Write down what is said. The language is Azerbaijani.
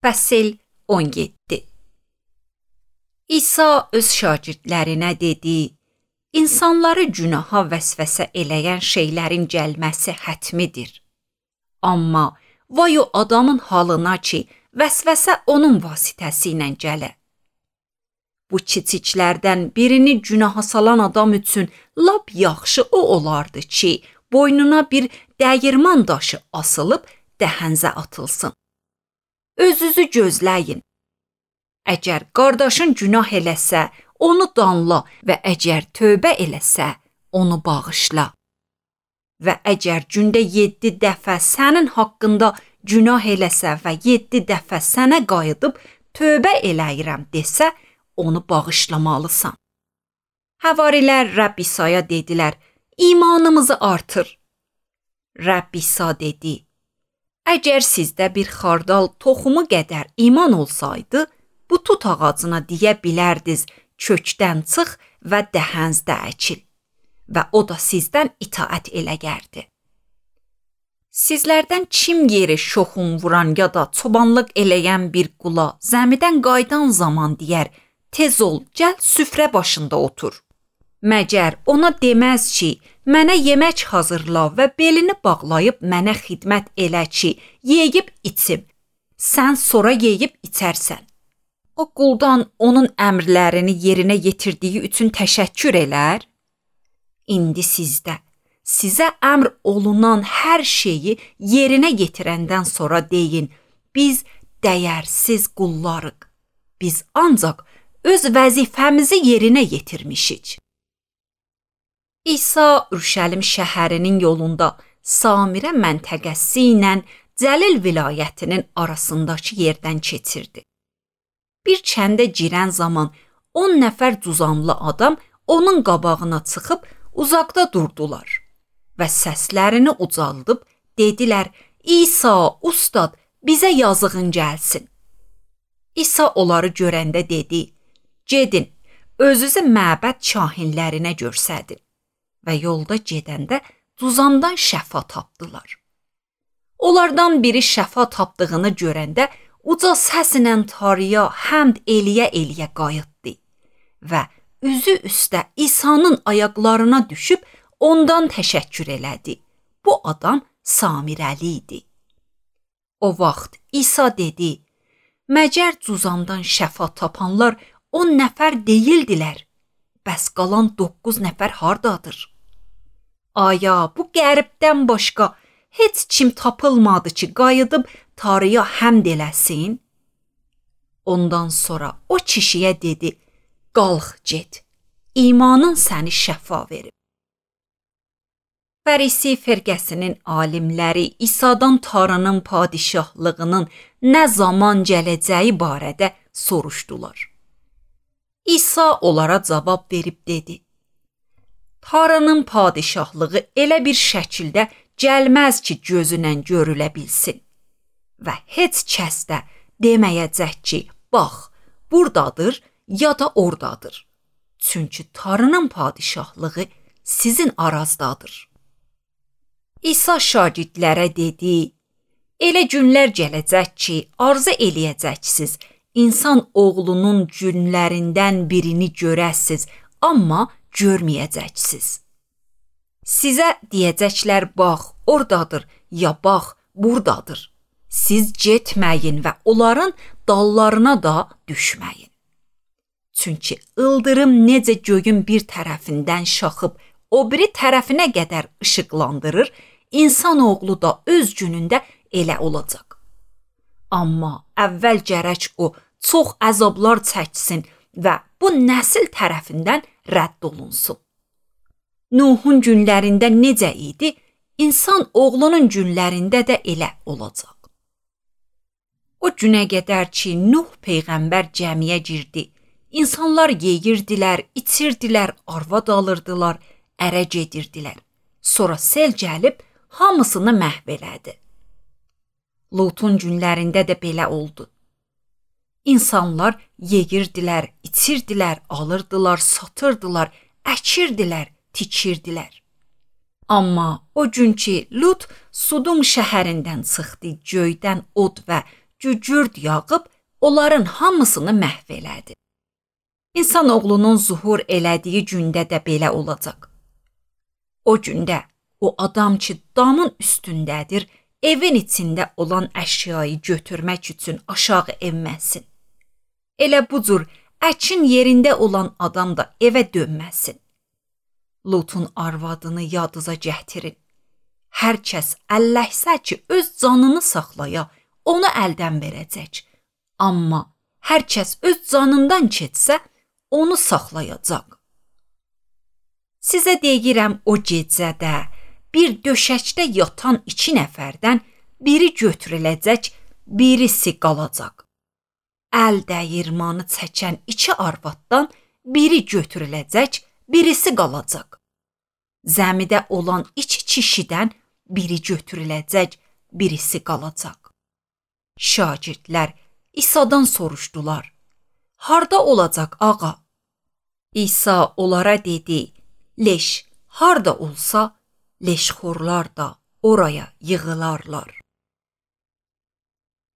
Fəsil 17. İsa öz şagirdlərinə dedi: İnsanları günaha vəsvəsə eləyən şeylərin gəlməsi hətmidir. Amma vay o adamın halına ki, vəsvəsə onun vasitəsi ilə gələ. Bu kiçiklərdən birini günaha salan adam üçün lap yaxşı o olardı ki, boynuna bir dəyirman daşı asılıb dəhənzə atılsın. Özünüzü gözləyin. Əgər qardaşın günah eləsə, onu danla və əgər tövbə eləsə, onu bağışla. Və əgər gündə 7 dəfə sənin haqqında günah eləsə və 7 dəfə sənə qayıdıb tövbə eləyirəm desə, onu bağışlamalısan. Həvarilər Rəbb İsa'ya dedilər: İmanımızı artır. Rəbb İsa dedi: Əgər sizdə bir xardal toxumu qədər iman olsaydı, bu tut ağacına deyə bilərdiniz, kökdən çıx və dəhənzdə əkil və o da sizdən itaət eləgərdi. Sizlərdən kim yeri şoxun vuran ya da çobanlıq eləyən bir qula zəmidən qayıdan zaman deyər: tez ol, gəl süfrə başında otur. Məgər ona deməz ki, mənə yemək hazırla və belini bağlayıb mənə xidmət elə ki, yeyib içim. Sən sonra yeyib içərsən. O quldan onun əmrlərini yerinə yetirdiyi üçün təşəkkür elər. İndi sizə əmr olunan hər şeyi yerinə yetirəndən sonra deyin: biz dəyərsiz qullarıq. Biz ancaq öz vəzifəmizi yerinə yetirmişik. İsa Ürüşəlim şəhərinin yolunda Samirə məntəqəsi ilə Cəlil vilayətinin arasındakı yerdən keçirdi. Bir kəndə girən zaman 10 nəfər cuzamlı adam onun qabağına çıxıb uzaqda durdular və səslərini ucaldıb dedilər: İsa, ustad, bizə yazığın gəlsin. İsa onları görəndə dedi: gedin, özünüzü məbəd kahinlərinə göstərin. Və yolda gedəndə cuzamdan şəfa tapdılar. Onlardan biri şəfa tapdığını görəndə uca səslə Tanrıya həmd eləyə qayıtdı və üzü üstə İsa'nın ayaqlarına düşüb ondan təşəkkür elədi. Bu adam Samirəli idi. O vaxt İsa dedi: məgər cuzamdan şəfa tapanlar 10 nəfər deyildilər? Bəs qalan 9 nəfər hardadır? Aya, bu qəribdən başqa heç kim tapılmadı ki, qayıdıb Tanrıya həmd eləsin? Ondan sonra o kişiyə dedi: qalx get, imanın səni şəfa verib. Fərisi firqəsinin alimləri İsa'dan Tanrının padişahlığının nə zaman gələcəyi barədə soruşdular. İsa onlara cavab verib dedi: Tanrının padişahlığı elə bir şəkildə gəlməz ki, gözünlə görülə bilsin. Və heç kəs də deməyəcək ki, bax, buradadır ya da oradadır. Çünki Tanrının padişahlığı sizin arazdadır. İsa şagirdlərə dedi: elə günlər gələcək ki, arzu eləyəcəksiniz, insan oğlunun günlərindən birini görəsiz, amma görməyəcəksiniz. Sizə deyəcəklər, bax, oradadır, ya bax, buradadır. Siz getməyin və onların dallarına da düşməyin. Çünki ildırım necə göyün bir tərəfindən şaxıb o biri tərəfinə qədər işıqlandırır, insan oğlu da öz günündə elə olacaq. Amma əvvəl gərək o çox əzablar çəksin və bu nəsil tərəfindən rədd olunsun. Nuhun günlərində necə idi, insan oğlunun günlərində də elə olacaq. O günə qədər ki, Nuh peyğəmbər gəmiyə girdi, insanlar yeyirdilər, içirdilər, arvad alırdılar, ərə gedirdilər. Sonra sel gəlib hamısını məhv elədi. Lutun günlərində də belə oldu. İnsanlar yeyirdilər, içirdilər, alırdılar, satırdılar, əkirdilər, tikirdilər. Amma o gün ki, Lut Sudum şəhərindən çıxdı, göydən od və cücürd yağıb onların hamısını məhv elədi. İnsanoğlunun zuhur elədiyi gündə də belə olacaq. O gündə o adam ki damın üstündədir, evin içində olan əşyayı götürmək üçün aşağı enməsin. Elə bu cür əkin yerində olan adam da evə dönməsin. Lutun arvadını yadınıza gətirin. Hər kəs əlləşsə ki, öz canını saxlaya, onu əldən verəcək. Amma hər kəs öz canından keçsə, onu saxlayacaq. Sizə deyirəm, o gecədə bir döşəkdə yatan 2 nəfərdən biri götürüləcək, birisi qalacaq. Əl dəyirmanı çəkən 2 arvaddan biri götürüləcək, birisi qalacaq. Zəmidə olan 2 kişidən biri götürüləcək, birisi qalacaq. Şagirdlər İsa'dan soruşdular: "Harda olacaq ağa?" İsa onlara dedi: "Leş harda olsa, leşxorlar da oraya yığılarlar."